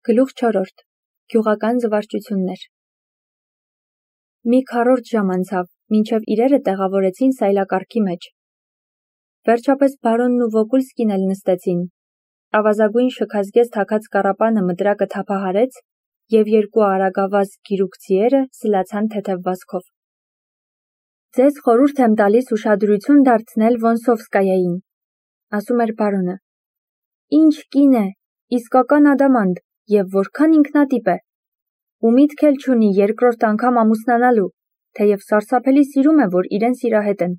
Գլուխ 4. Գյուղական զվարճություններ։ Մի քառորդ ժամ անցավ, մինչև իրերը տեղավորեցին սայլակարգի մեջ։ Վերջապես բարոնն ու Վոկուլսկին էլ նստեցին։ Ավազագույն շքազգեզ թաքած կառապանը մտրակը թափահարեց, և երկու արագավազ գիրուկցիերը սլացան թեթև վազքով։ Ձեզ խորհուրդ եմ տալիս ուշադրություն դարձնել Վոնսովսկայային, ասում էր բարոնը։ Ինչ կին է, իսկական ադամանդ, և որքան ինքնատիպ է։ Ու միտք էլ չունի երկրորդ անգամ ամուսնանալու, թեև սարսափելի սիրում է, որ իրեն սիրահետեն։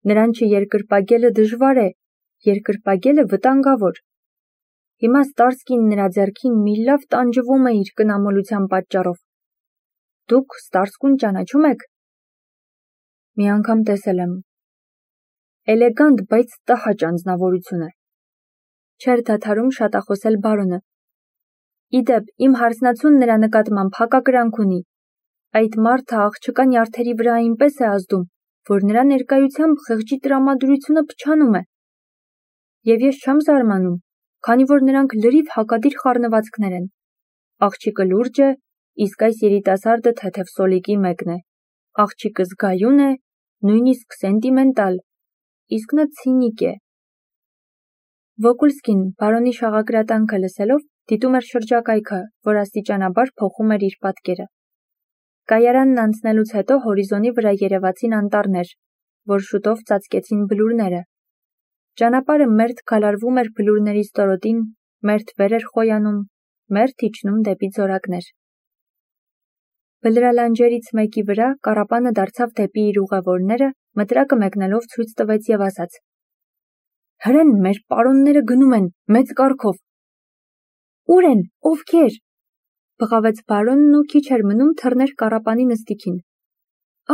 Նրան չերկրպագելը դժվար է, երկրպագելը վտանգավոր։ Հիմա Ստարսկին նրա ձեռքին մի լավ տանջվում է իր կնամոլության պատճառով։ Դուք Ստարսկուն ճանաչում եք։ Մի անգամ տեսել եմ։ Էլեգանտ, բայց տհաճ անձնավորություն է։ Չէր դադարում շատախոսել բարոնը։ Իդեպ, իմ հարսնացուն նրա նկատմամբ հակակրանք ունի։ Այդ մարդը աղջկա նյարդերի վրա այնպես է ազդում, որ նրա ներկայությամբ խեղճի տրամադրությունը փչանում է։ Եվ ես չեմ զարմանում, քանի որ նրանք լրիվ հակադիր խառնվածքներ են։ Աղջիկը լուրջ է, իսկ այս երիտասարդը թեթև սոլիկի մեկն է։ Աղջիկը զգայուն է, նույնիսկ սենտիմենտալ, իսկ նա ցինիկ է։ Վոկուլսկին, բարոնի շաղակրատանքը լսելով, դիտում էր շրջակայքը, որ աստիճանաբար փոխում էր իր պատկերը։ Կայարանն անցնելուց հետո հորիզոնի վրա երևացին անտառներ, որ շուտով ծածկեցին բլուրները։ Ճանապարհը մերթ գալարվում էր բլուրների ստորոտին, մերթ վեր էր խոյանում, մերթ իջնում դեպի ձորակներ։ Բլրալանջերից մեկի վրա կառապանը դարձավ դեպի իր ուղևորները, մտրակը մեկնելով ցույց տվեց և ասաց. Հրեն, մեր պարոնները գնում են, մեծ կարգով։ Ուր են, ովքեր։ Բղավեց բարոնն ու քիչ էր մնում թռներ կառապանի նստիքին։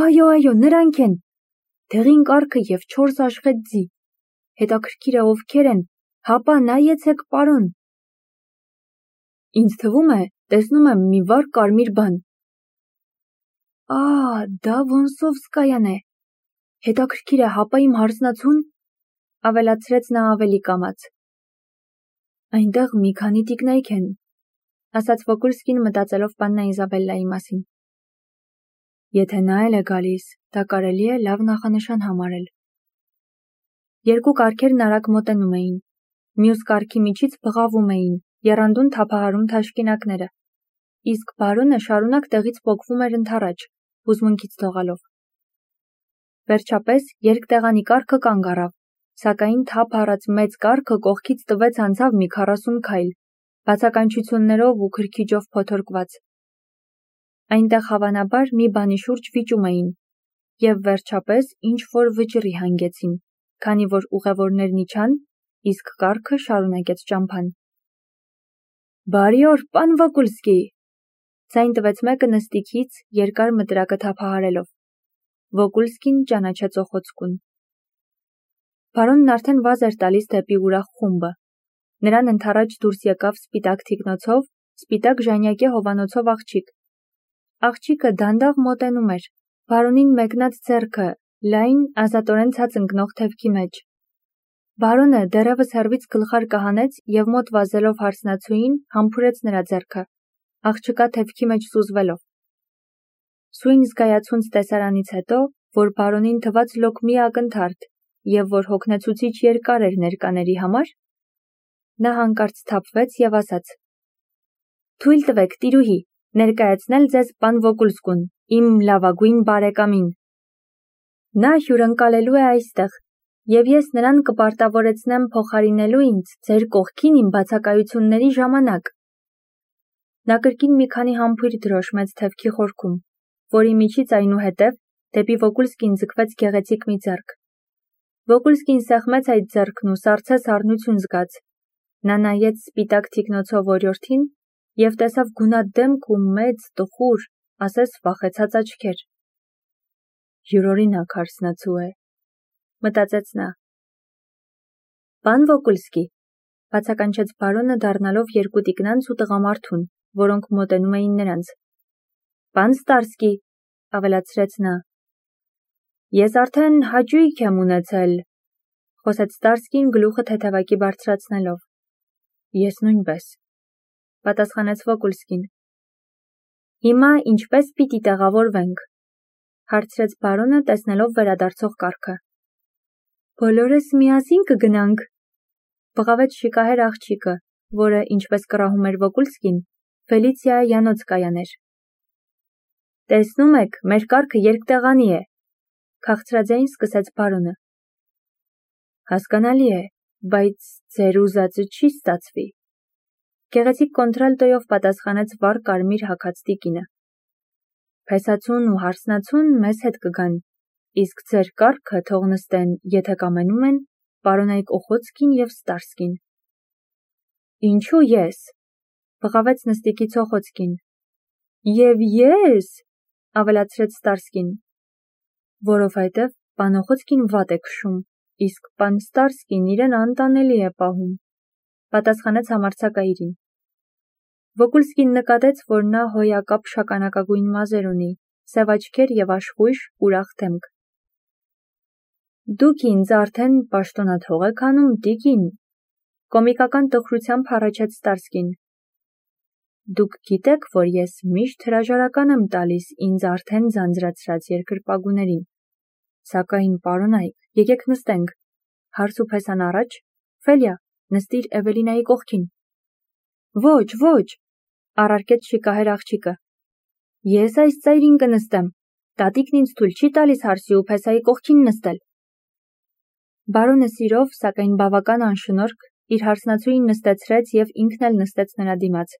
Այո, նրանք են։ Դեղին կառքը և 4 աշխետ ձի։ Հետաքրքիր է ովքեր են, հապա նայեցեք պարոն։ Ինձ թվում է, տեսնում եմ մի վառ կարմիր բան։ Դա Վոնսովսկայան է։ Հետաքրքիր է, հապա իմ հարսնացուն, ավելացրեց նա ավելի կամաց։ Այնտեղ մի քանի տիկնայք են, ասաց Վոկուլսկին մտածելով պաննա Իզաբելլայի մասին։ Եթե նա էլ է գալիս, դա կարելի է լավ նախանշան համարել։ Երկու կառքերն արագ մոտենում էին։ Մյուս կառքի միջից բղավում էին, եռանդուն թափահարում թաշկինակները։ Իսկ բարոնը շարունակ տեղից պոկվում էր ընդառաջ, հուզմունքից լողալով։ Վերջապես երկտեղանի կառքը կանգ առավ, սակայն թափ առած մեծ կառքը կողքից տվեց անցավ մի 40 քայլ, բացականչություններով ու քրքիջով փոթորկված։ Այնտեղ հավանաբար մի բանի շուրջ վիճում էին, և վերջապես ինչ-որ վճռի հանգեցին, քանի որ ուղևորներն իջան, իսկ կառքը շարունակեց ճամփան։ Բարի օր, պան Վոկուլսկի, ձայն տվեց մեկը նստիքից, երկար մտրակը թափահարելով։ Վոկուլսկին ճանաչեց օխոցկուն։ Բարոնն արդեն վազ էր տալիս դեպի ուրախ խումբը։ Նրան ընդառաջ դուրս եկավ սպիտակ թիկնոցով, սպիտակ ժանյակե հովանոցով աղջիկ։ Աղջիկը դանդաղ մոտենում էր, բարոնին մեկնած ձեռքը, լայն, ազատորեն ցած ընկնող թևքի մեջ։ Բարոնը դեռևս հեռվից գլխարկը հանեց և մոտ վազելով հարսնացուին համբուրեց նրա ձեռքը, աղջկա թևքի մեջ սուզվելով։ Սույն զգայացունց տեսարանից հետո, որ բարոնին թվաց լոկ մի ակնթարթ, և որ հոգնեցուցիչ երկար էր ներկաների համար, նա հանկարծ սթափվեց և ասաց. Թույլ տվեք, տիրուհի, ներկայացնել ձեզ պան Վոկուլսկուն, իմ լավագույն բարեկամին։ Նա հյուրընկալելու է այստեղ, և ես նրան կպարտավորեցնեմ փոխարինելու ինձ ձեր կողքին իմ բացակայությունների ժամանակ։ Նա կրկին մի քանի համբույր դրոշմեց թևքի խորքում, որի միջից այնուհետև դեպի Վոկուլսկին ձգվեց գեղեցիկ մի ձեռք։ Վոկուլսկին սեղմեց այդ ձեռքն ու սառցեց առնություն զգաց։ Նա նայեց սպիտակ թիկնոցով օրիորդին և տեսավ գունատ դեմք ու մեծ, տխուր, ասես վախեցած աչքեր։ Յուրօրինակ հարսնացու է, մտածեց նա։ Պան Վոկուլսկի, բացականչեց բարոնը դառնալով երկու տիկնանց ու տղամարդուն, որոնք մոտենում էին նրանց։ Պան Ստարսկի, ավելացրեց նա։ Ես արդեն հաճույք եմ ունեցել, խոսեց Ստարսկին գլուխը թեթևակի բարձրացնելով։ Ես նույնպես։ պատասխանեց Վոկուլսկին։ Հիմա ինչպես պիտի տեղավորվենք, հարցրեց բարոնը, տեսնելով վերադարձող կառքը։ Բոլորս միասին կգնանք, բղավեց շիկահեր աղջիկը, որը, ինչպես կռահում էր Վոկուլսկին, Ֆելիցիայանոց կայաներ։ Տեսնում եք, մեր կառքը երկտեղանի է, քաղցրաձայն սկսեց բարոնը։ Հասկանալի է, բայց ձեր ուզածը չի ստացվի, գեղեցիկ կոնտրալտոյով պատասխանեց վառ կարմիր հագած տիկինը։ Փեսացուն ու հարսնացուն մեզ հետ կգան, իսկ ձեր կառքը թող նստեն, եթե կամենում են, պարոնայք Օխոցկին և Ստարսկին։ Ինչու ես, բղավեց նստիկից Օխոցկին։ Եվ ես, ավելացրեց Ստարսկին, որովհետև պան Օխոցկին վատ է քշում, իսկ պան Ստարսկին իրեն անտանելի է պահում, պատասխանեց համարձակայիրին։ Վոկուլսկին նկատեց, որ նա հոյակապ շագանակագույն մազեր ունի, սև աչքեր և աշխույժ, ուրախ դեմք։ Դուք ինձ արդեն պաշտոնաթող եք անում, տիկին, կոմիկական տխրությամբ հառաչեց Ստարսկին։ Դուք գիտեք, որ ես միշտ հրաժարական եմ տալիս ինձ արդեն ձանձրացրած երկրպագուներին, սակայն պարոնայք, եկեք նստենք, հարս ու փեսան առաջ, Ֆելիա, նստիր Էվելինայի կողքին։ Ոչ, առարկեց շիկահեր աղջիկը։ Ես այս ծայրին կնստեմ, տատիկն ինձ թույլ չի տալիս հարսի ու փեսայի կողքին նստել։ Բարոնը սիրով, սակայն բավական անշնորհք, իր հարսնացուին նստեցրեց և ինքն էլ նստեց նրա դիմաց։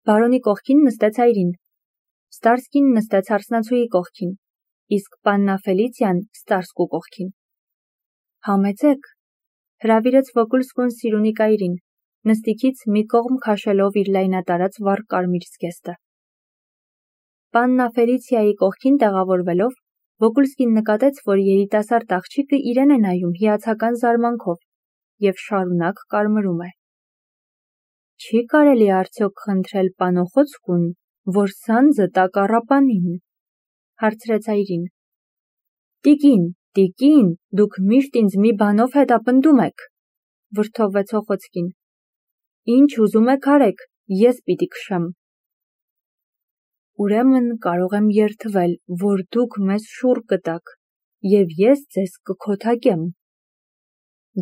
Բարոնի կողքին նստեց այրին, Ստարսկին նստեց հարսնացուի կողքին, իսկ պաննա Ֆելիցիան Ստարսկու կողքին։ Համեցեք, հրավիրեց Վոկուլսկուն Սիրունիկ այրին, նստիկից մի կողմ քաշելով իր լայնատարած վառ կարմիր զգեստը։ Պաննա Ֆելիցիայի կողքին տեղավորվելով, Վոկուլսկին նկատեց, որ երիտասարդ աղջիկը իրեն է նայում հիացական զարմանքով և շարունակ կարմրում է։ Չի կարելի արդյոք խնդրել պան Օխոցկուն, որ սանձը տա կառապանին, հարցրեց այրին։ Տիկին, դուք միշտ ինձ մի բանով հետապնդում եք, վրդովվեց Օխոցկին։ Ինչ ուզում եք արեք, ես պիտի քշեմ։ Ուրեմն կարող եմ երդվել, որ դուք մեզ շուռ կտաք, և ես ձեզ կքոթակեմ։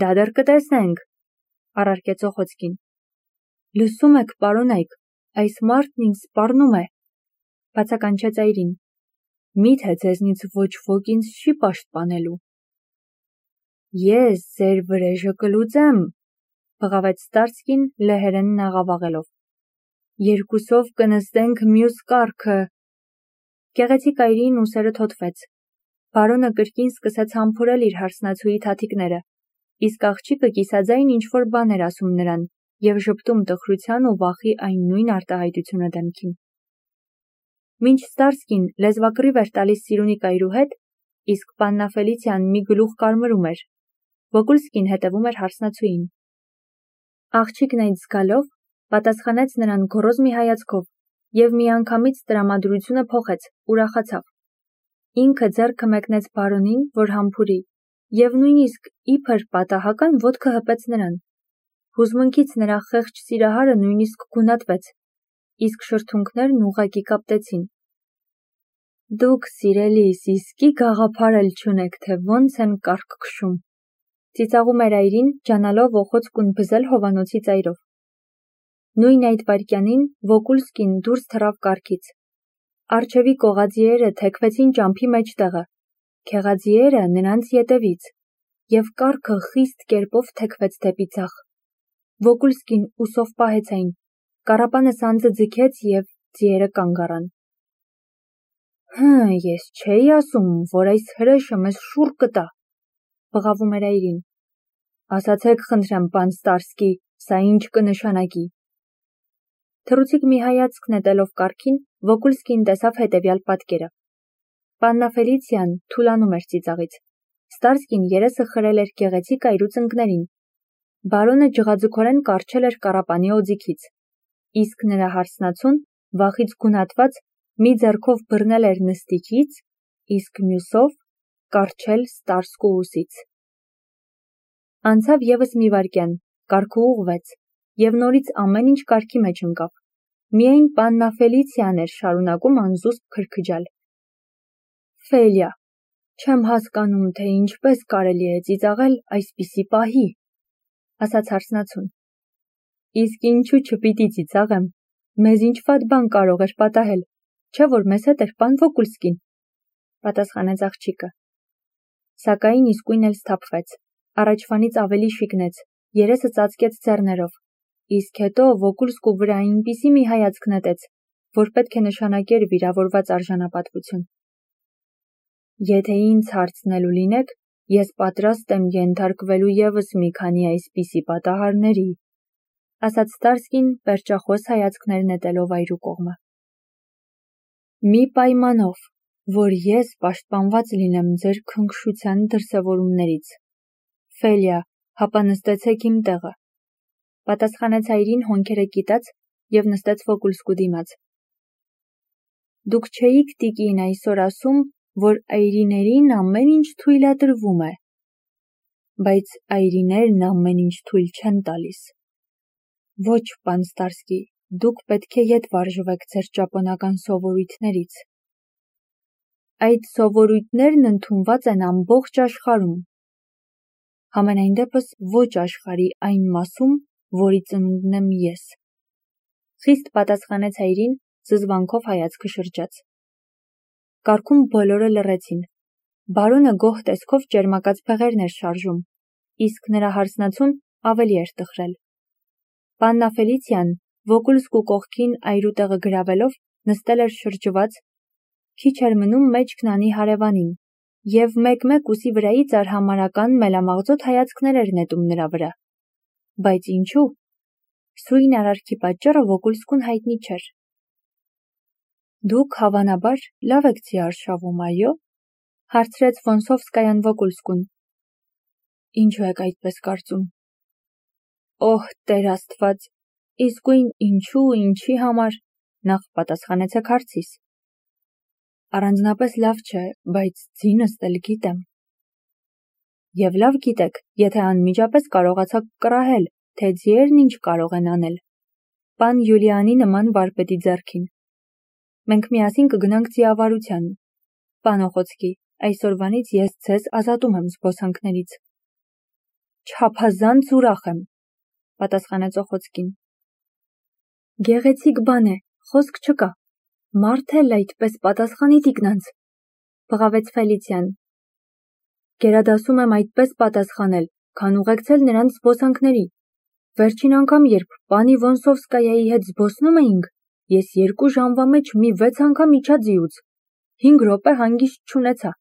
Դա դեռ կտեսնենք, առարկեց Օխոցկին։ Լսում եք, պարոնայք, այս մարդն ինձ սպառնում է, բացականչեց այրին։ Միթե ձեզնից ոչ ոք ինձ չի պաշտպանելու։ Ես ձեր վրեժը կլուծեմ, բղավեց Ստարսկին լեհերեն աղավաղելով։ Երկուսով կնստենք մյուս կառքը։ Գեղեցիկ այրին ուսերը թոթվեց։ Բարոնը կրկին սկսեց համբուրել իր հարսնացուի թաթիկները, իսկ աղջիկը կիսաձայն ինչ-որ բան էր ասում նրան և ժպտում տխրության ու վախի այն նույն արտահայտությունը դեմքին։ Մինչ Ստարսկին լեզվակռիվ էր տալիս Սիրունիկ այրու հետ, իսկ պաննա Ֆելիցիան մի գլուխ կարմրում էր, Վոկուլսկին հետևում էր հարսնացուին։ Աղջիկն այդ զգալով պատասխանեց նրան գոռոզ մի հայացքով և միանգամից տրամադրությունը փոխեց, ուրախացավ։ Ինքը ձեռքը մեկնեց բարոնին, որ համբուրի, և նույնիսկ իբր պատահական ոտքը հպեց նրան։ Հուզմունքից նրա խեղճ սիրահարը նույնիսկ գունատվեց, իսկ շրթունքներն ուղղակի կապտեցին։ Դուք, սիրելիս, իսկի գաղափար էլ չունեք, թե ոնց են կառք քշում, ծիծաղում էր այրին, ջանալով Օխոցկուն բզել հովանոցի ծայրով։ Նույն այդ վայրկյանին Վոկուլսկին դուրս թռավ կառքից։ Առջևի կողազիերը թեքվեցին ճամփի մեջտեղը, քեղազիերը նրանց ետևից, և կառքը խիստ կերպով թեքվեց դեպի ձախ։ Վոկուլսկին ուսով պահեց այն, կառապանը սանձը ձգեց և ձիերը կանգ առան։ Ես չէի ասում, որ այս հրեշը մեզ շուռ կտա, բղավում էր այրին։ Ասացեք խնդրեմ, պան Ստարսկի, սա ինչ կնշանակի։ Թռուցիկ մի հայացք նետելով կառքին, Վոկուլսկին տեսավ հետևյալ պատկերը։ Պաննա Ֆելիցիան թուլանում էր ծիծաղից։ Ստարսկին երեսը խրել էր գեղեցիկ այրու ծնկներին։ Բարոնը ջղաձգորեն կառչել էր կառապանի օձիքից, իսկ նրա հարսնացուն, վախից գունատված, մի ձեռքով բռնել էր նստիճից, իսկ մյուսով կառչել Ստարսկու ուսից։ Անցավ ևս մի վայրկյան, կառքը ուղղվեց, և նորից ամեն ինչ կարգի մեջ ընկավ։ Միայն պաննա Ֆելիցիան էր շարունակում անզուսպ քրքջալ։ Ֆելիա, չեմ հասկանում, թե ինչպես կարելի է ծիծաղել այսպիսի պահի, ասաց հարսնացուն։ Իսկ ինչու չպիտի ծիծաղեմ, մեզ ինչ վատ բան կարող էր պատահել, չէ որ մեզ հետ էր պան Վոկուլսկին, պատասխանեց աղջիկը։ Սակայն իսկույն էլ սթափվեց, առաջվանից ավելի շիկնեց, երեսը ծածկեց ձեռներով, իսկ հետո Վոկուլսկու վրա այնպիսի մի հայացք նետեց, որ պետք է նշանակեր վիրավորված արժանապատվություն։ Եթե ինձ հարցնելու լինեք, ես պատրաստ եմ ենթարկվելու ևս մի քանի այսպիսի պատահարների, ասաց Ստարսկին պերճախոս հայացքներ նետելով այրու կողմը։ Մի պայմանով, որ ես պաշտպանված լինեմ ձեր քնքշության դրսևորումներից։ Ֆելիա, հապա նստեցեք իմ տեղը, պատասխանեց այրին հոնքերը կիտած և նստեց Վոկուլսկու դիմաց։ Դուք չէիք տիկին այսօր ասում, որ այրիներին ամեն ինչ թույլատրվում է, բայց այրիներն ամեն ինչ թույլ չեն տալիս։ Ոչ, պան Ստարսկի, դուք պետք է ետ վարժվեք ձեր ճապոնական սովորույթներից։ Այդ սովորույթներն ընդունված են ամբողջ աշխարհում։ Համենայն դեպս ոչ աշխարհի այն մասում, որի ծնունդն եմ ես։ Խիստ պատասխանեց այրին, զզվանքով հայացքը շրջած։ Կառքում բոլորը լռեցին։ Բարոնը գոհ տեսքով ճերմակած փեղերն էր շարժում, իսկ նրա հարսնացուն ավելի էր տխրել։ Պաննա Ֆելիցիան Վոկուլսկու կողքին այրու տեղը գրավելով նստել էր շրջված, քիչ էր մնում մեջքն անի հարևանին, և մեկ-մեկ ուսի վրայից արհամարհական մելամաղձոտ հայացքներ էր նետում նրա վրա։ Բայց ինչու՞։ Սույն արարքի պատճառը Վոկուլսկուն հայտնի չէր։ Դուք հավանաբար լավ եք ձիարշավում, այո՞, հարցրեց Վոնսովսկայան Վոկուլսկուն։ Ինչու եք այդպես կարծում։ Օհ, Տեր Աստված, իսկույն ինչու, ինչի համար, նախ պատասխանեցեք հարցիս։ Առանձնապես լավ չէ, բայց ձինս էլ գիտեմ։ Եվ լավ գիտեք, եթե անմիջապես կարողացաք կռահել, թե ձիերն ինչ կարող են անել։ Պան Յուլիանի նման վարպետի ձեռքին։ Մենք միասին կգնանք ձիավարության։ Պան Օխոցկի, այսօրվանից ես ձեզ ազատում եմ զբոսանքներից։ Չափազանց ուրախ եմ, պատասխանեց Օխոցկին։ Գեղեցիկ բան է, խոսք չկա։ Մարդ էլ այդպես պատասխանի տիկնանց, բղավեց Ֆելիցիան։ Գերադասում եմ այդպես պատասխանել, քան ուղեկցել նրանց զբոսանքների։ Վերջին անգամ, երբ պանի Վոնսովսկայայի հետ զբոսնում էինք, ես 2 ժամվա մեջ մի 6 անգամ իջա ձիուց, 5 րոպե հանգիստ չունեցա։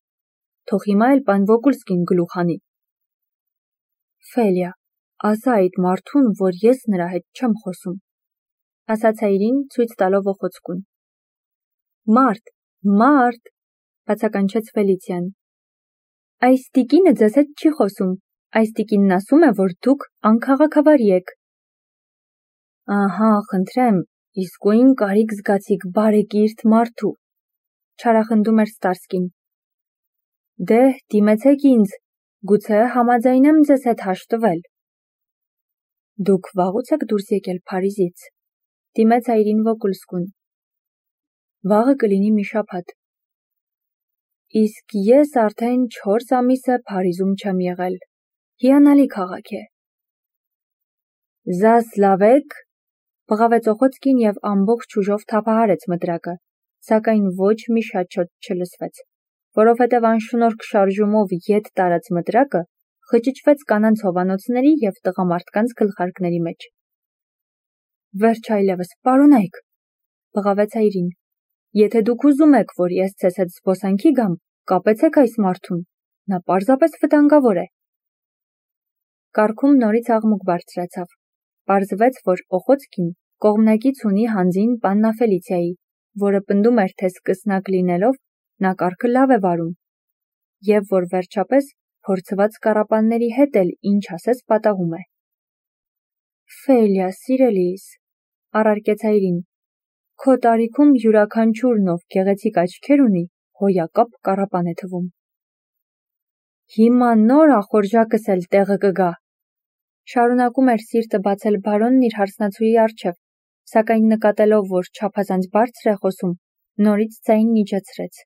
Թող հիմա էլ պան Վոկուլսկին գլուխ անի։ Ֆելիա, ասա այդ մարդուն, որ ես նրա հետ չեմ խոսում, ասաց այրին, ցույց տալով Օխոցկուն։ Մարդ, բացականչեց Ֆելիցիան։ Այս տիկինը ձեզ հետ չի խոսում, այս տիկինն ասում է, որ դուք անքաղաքավարի եք։ Ահա, խնդրեմ, իսկույն կարիք զգացիք բարեկիրթ մարդու, չարախնդում էր Ստարսկին։ Դե, դիմեցեք ինձ, գուցե համաձայնեմ ձեզ հետ հաշտվել։ Դուք վաղուց եք դուրս եկել Փարիզից, դիմեց այրին Վոկուլսկուն։ Վաղը կլինի մի շաբաթ։ Իսկ ես արդեն 4 ամիս է Փարիզում չեմ եղել։ Հիանալի քաղաք է։ Զասլավեք, բղավեց Օխոցկին և ամբողջ ուժով թափահարեց մտրակը, սակայն ոչ մի շաչոտ չլսվեց, որովհետև անշնորհք շարժումով ետ տարած մտրակը խճճվեց կանանց հովանոցների և տղամարդկանց գլխարկների մեջ։ Վերջ այլևս, պարոնայք, բղավեց այրին, եթե դուք ուզում եք, որ ես ձեզ հետ զբոսանքի գամ, կապեցեք այս մարդուն, նա պարզապես վտանգավոր է։ Կառքում նորից աղմուկ բարձրացավ։ Պարզվեց, որ Օխոցկին կողմնակից ունի հանձին պաննա Ֆելիցիայի, որը պնդում էր, թե սկսնակ լինելով նա կառքը լավ է վարում, և որ վերջապես փորձված կառապանների հետ էլ ինչ ասես պատահում է։ Ֆելիա, սիրելիս, առարկեց այրին, քո տարիքում յուրաքանչյուրն, ով գեղեցիկ աչքեր ունի, հոյակապ կառապան է թվում։ Հիմա նոր ախորժակս էլ տեղը կգա, Շարունակում էր սիրտը բացել բարոնն իր հարսնացուի առջև, սակայն նկատելով, որ չափազանց բարձր է խոսում, նորից ձայնն իջեցրեց։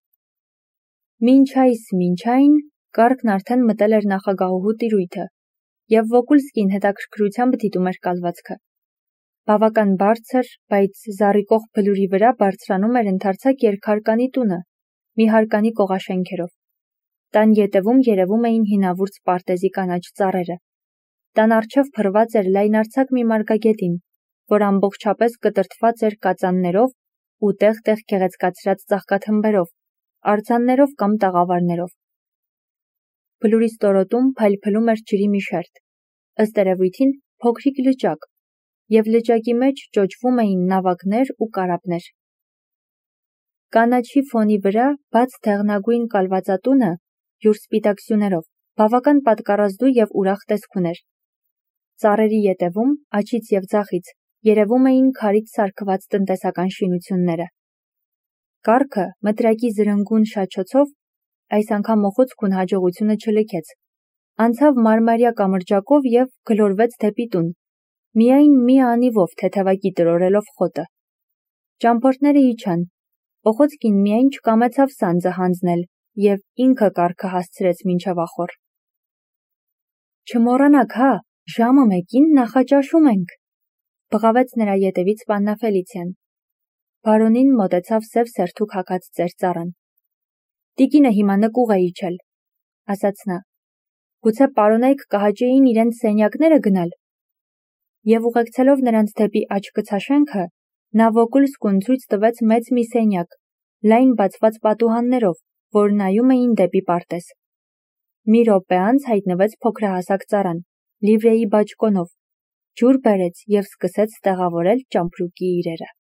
Մինչ այն, կառքն արդեն մտել էր նախագահուհու տիրույթը, և Վոկուլսկին հետաքրքրությամբ դիտում էր կալվածքը։ Բավական բարձր, բայց զառիվող բլուրի վրա բարձրանում էր ընդարձակ երկհարկանի տունը, մի հարկանի կողաշենքերով։ Տան ետևում երևում էին հինավուրց պարտեզի կանաչ ծառերը։ Տան առջև փռված էր լայնարձակ մի մարգագետին, որ ամբողջապես կտրտված էր կածաններով ու տեղ-տեղ գեղեցկացրած ծաղկաթմբերով, արձաններով կամ տաղավարներով։ Բլուրի ստորոտում փայլփլում էր ջրի մի շերտ, ըստ երևույթին փոքրիկ լճակ, և լճակի մեջ ճոճվում էին նավակներ ու կարապներ։ Կանաչի ֆոնի վրա բաց դեղնագույն կալվածատունը, յուր սպիտակ սյուներով, բավական պատկառազդու և ուրախ տեսք ուներ։ Ծառերի ետևում, աջից և ձախից, երևում էին քարից սարքված տնտեսական շինությունները։ Կառքը մտրակի զրնգուն շաչոցով, այս անգամ օխուցքուն հաջողությունը չլքեց, անցավ մարմարյա կամրջակով և գլորվեց դեպի տուն, միայն մի անիվով թեթևակի տրորելով խոտը։ Ճամփորդները իջան, Օխոցկին միայն չկամեցավ սանձը հանձնել և ինքը կառքը հասցրեց մինչև ախոռ։ Չմոռանաք, հա, ժամը 1-ին նախաճաշում ենք, բղավեց նրա ետևից Պաննա Ֆելիցիան։ Բարոնին մոտեցավ սև սերթուկ հագած ծեր ծառան։ Տիկինը հիմա նկուղ է իջել, ասաց նա։ Գուցե պարոնայք կհաճեին իրենց սենյակները գնալ։ Եվ ուղեկցելով նրանց դեպի աջ-կցաշենքը, նա Վոկուլսկուն ցույց տվեց մեծ մի սենյակ, լայն բացված պատուհաններով, որ նայում էին դեպի պարտեզ։ Մի րոպե անց հայտնվեց փոքրահասակ ծառան, լիվրեի բաճկոնով, ջուր բերեց և սկսեց տեղավորել ճամպրուկի իրերը։